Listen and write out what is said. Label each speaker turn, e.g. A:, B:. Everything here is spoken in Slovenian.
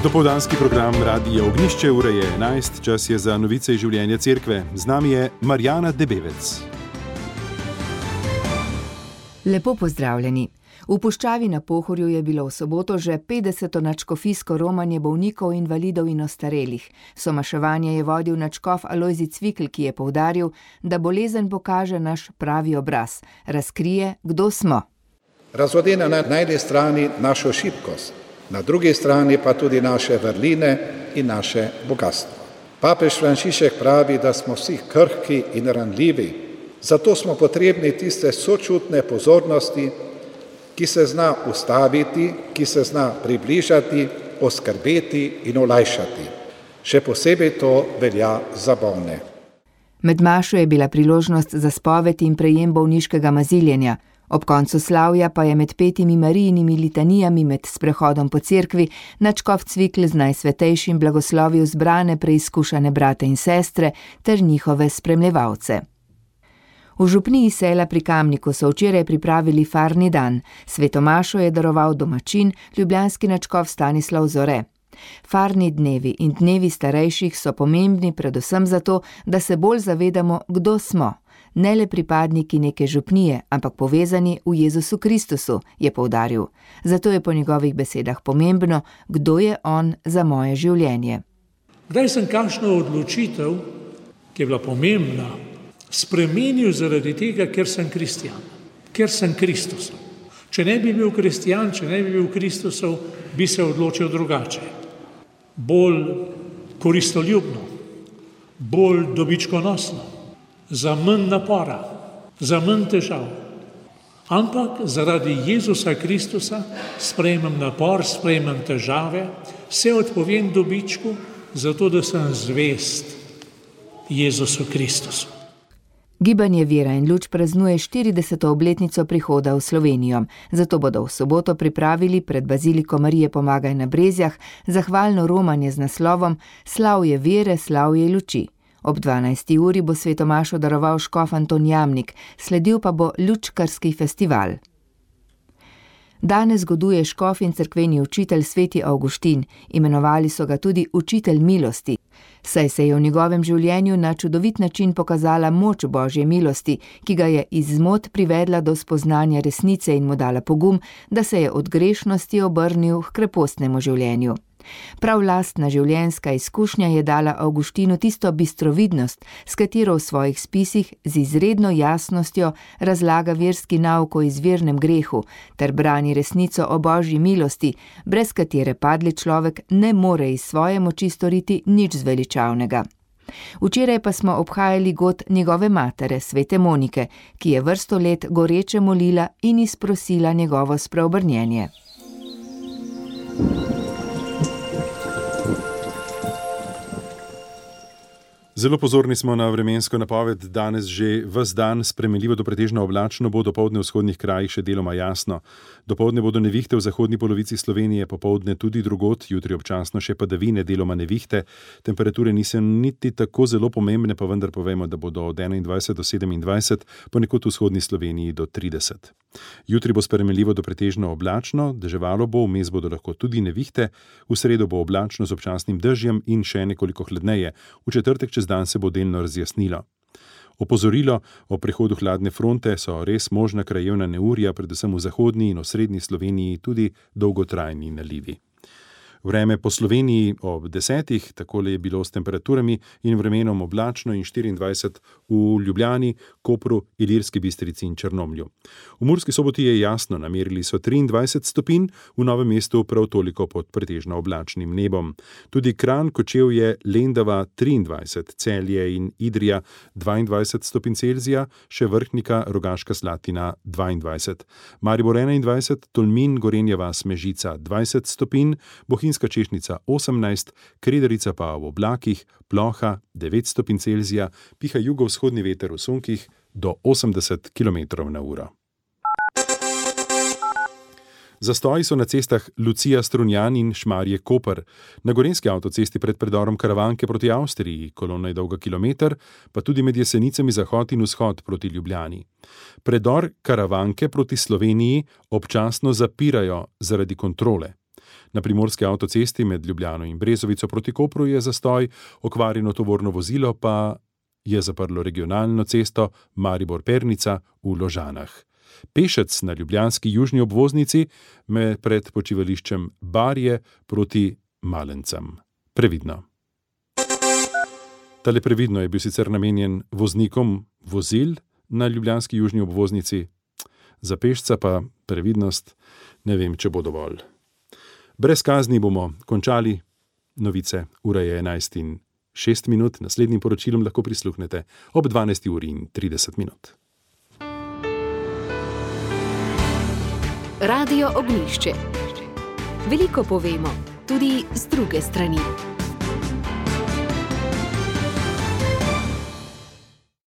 A: Dopoldanski program Radija Ognjišče, ura je 11, čas je za novice iz življenja cerkve. Z nami je Marjana Debevec.
B: Lepo pozdravljeni. V Puščavi na Pohorju je bilo v soboto že 50. nadškofijsko romanje bolnikov, invalidov in ostarelih. Somaševanje je vodil nadškof Alojzij Cvikl, ki je poudaril, da bolezen pokaže naš pravi obraz, razkrije, kdo smo.
C: Razodene na eni strani našo šibkost, na drugi strani pa tudi naše vrline in naše bogatstvo. Papež Frančišek pravi, da smo vsi krhki in ranljivi, zato smo potrebni tiste sočutne pozornosti, ki se zna ustaviti, ki se zna približati, oskrbeti in olajšati. Še posebej to velja za bolne.
B: Med mašo je bila priložnost za spoved in prejem bolniškega maziljenja. Ob koncu slavja pa je med petimi Marijinimi litanijami med sprehodom po cerkvi nadškof Cvikl z najsvetejšim blagoslovil zbrane preizkušane brate in sestre ter njihove spremljevalce. V župniji Sela pri Kamniku so včeraj pripravili farni dan. Sveto mašo je daroval domačin, ljubljanski nadškof Stanislav Zore. Farni dnevi in dnevi starejših so pomembni predvsem zato, da se bolj zavedamo, kdo smo. Ne le pripadniki neke župnije, ampak povezani v Jezusu Kristusu, je poudaril. Zato je po njegovih besedah pomembno, kdo je on za moje življenje.
D: Kdaj sem kakšno odločitev, ki je bila pomembna, spremenil zaradi tega, ker sem kristjan, ker sem Kristusov. Če ne bi bil kristjan, če ne bi bil Kristusov, bi se odločil drugače. Bolj koristoljubno, bolj dobičkonosno, za manj napora, za manj težav. Ampak zaradi Jezusa Kristusa sprejmem napor, sprejmem težave, se odpovem dobičku, zato da sem zvest Jezusu Kristusu.
B: Gibanje Vera in luč praznuje 40. obletnico prihoda v Slovenijo. Zato bodo v soboto pripravili pred baziliko Marije Pomagaj na Brezjah zahvalno romanje z naslovom Slavje vere, slavje luči. Ob 12. uri bo sveto mašo daroval škof Anton Jamnik, sledil pa bo lučkarski festival. Danes goduje škof in cerkveni učitelj sveti Avguštin, imenovali so ga tudi učitelj milosti, saj se je v njegovem življenju na čudovit način pokazala moč Božje milosti, ki ga je iz zmot privedla do spoznanja resnice in mu dala pogum, da se je od grešnosti obrnil k krepostnemu življenju. Prav lastna življenjska izkušnja je dala Avguštinu tisto bistrovidnost, s katero v svojih spisih z izredno jasnostjo razlaga verski nauk o izvirnem grehu ter brani resnico o Božji milosti, brez katere padli človek ne more iz svoje moči storiti nič zveličavnega. Včeraj pa smo obhajali god njegove matere, svete Monike, ki je vrsto let goreče molila in izprosila njegovo spreobrnjenje.
A: Zelo pozorni smo na vremensko napoved. Danes že ves dan spremenljivo do pretežno oblačno, bo dopoldne v vzhodnih krajih še deloma jasno. Dopoldne bodo nevihte v zahodni polovici Slovenije, popoldne tudi drugod, jutri občasno še padavine, deloma nevihte. Temperature niso niti tako zelo pomembne, pa vendar povemo, da bodo od 21 do 27, ponekod v vzhodni Sloveniji do 30. Jutri bo spremenljivo do pretežno oblačno, deževalo bo, vmes bodo lahko tudi nevihte, v sredo bo oblačno z občasnim dežjem in še nekoliko hladneje, v četrtek čez dan se bo delno razjasnilo. Opozorilo o prihodu hladne fronte so res možna krajevna neurja, predvsem v zahodni in osrednji Sloveniji tudi dolgotrajni nalivi. Vreme po Sloveniji ob 10, takole je bilo s temperaturami in vremenom oblačno in 24 v Ljubljani, Kopru, Ilirski Bistrici in Črnomlju. V Murski Soboti je jasno, namerili so 23 stopinj, v Novem mestu prav toliko pod pretežno oblačnim nebom. Tudi Kranj, Kočevje, Lendava 23, Celje in Idrija 22 stopinj Celzija, še Vrhnika, Rogaška Slatina 22. Maribor 21, Tolmin, Gorenja vas, Mežica 20 stopinj, Bohinjska Češnica 18, Kredarica pa v oblakih, ploha 9 stopinj Celzija, piha jugovzhodni veter v sunkih do 80 km/h. Zastoji so na cestah Lucija-Strunjan in Šmarje-Koper. Na gorenjski avtocesti pred predorom Karavanke proti Avstriji, kolona je dolga kilometer, pa tudi med Jesenicami zahod in vzhod proti Ljubljani. Predor Karavanke proti Sloveniji občasno zapirajo zaradi kontrole. Na primorski avtocesti med Ljubljano in Brezovico proti Kopru je zastoj, okvarjeno tovorno vozilo pa je zaprlo regionalno cesto Maribor-Pernica v Ložanah. Pešec na ljubljanski južni obvoznici pred počivališčem Barje proti Malencem. Previdno. Tale previdno je bil sicer namenjen voznikom vozil na ljubljanski južni obvoznici, za pešca pa previdnost ne vem, če bo dovolj. Brez kazni bomo končali. Novice, ura je 11:06, naslednjim poročilom lahko prisluhnete ob 12:30.
E: Radio Ognjišče. Veliko povemo, tudi z druge strani.